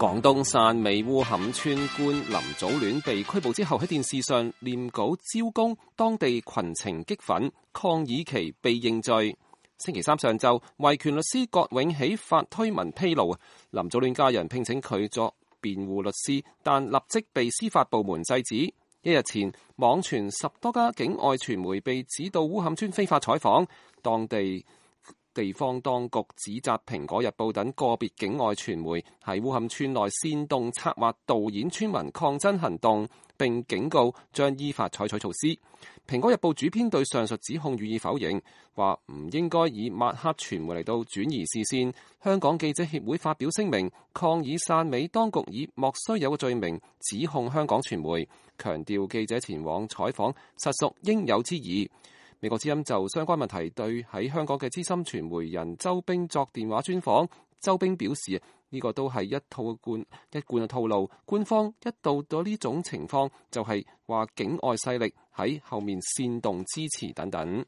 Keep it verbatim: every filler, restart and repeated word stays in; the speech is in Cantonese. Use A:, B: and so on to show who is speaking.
A: 廣東汕尾烏坎村官林祖戀被拘捕之後，喺電視上念稿招供，當地群情激憤，抗議其被認罪。星期三上晝，維權律師葛永喜發推文披露，林祖戀家人聘請佢作辯護律師，但立即被司法部門制止。一日前，網傳十多家境外傳媒被指到烏坎村非法採訪，當地地方當局指責《蘋果日報》等個別境外傳媒喺烏坎村內煽動策劃導演村民抗爭行動，並警告將依法採取措施。《蘋果日報》主編對上述指控予以否認，話唔應該以抹黑傳媒嚟到轉移視線。香港記者協會發表聲明，抗議汕尾當局以莫須有嘅罪名指控香港傳媒，強調記者前往採訪實屬應有之義。美國之音就相關問題對喺香港嘅資深傳媒人周冰作電話專訪，周冰表示呢個都係一套貫一貫嘅套路，官方一到到呢種情況就係話境外勢力喺後面煽動支持等等。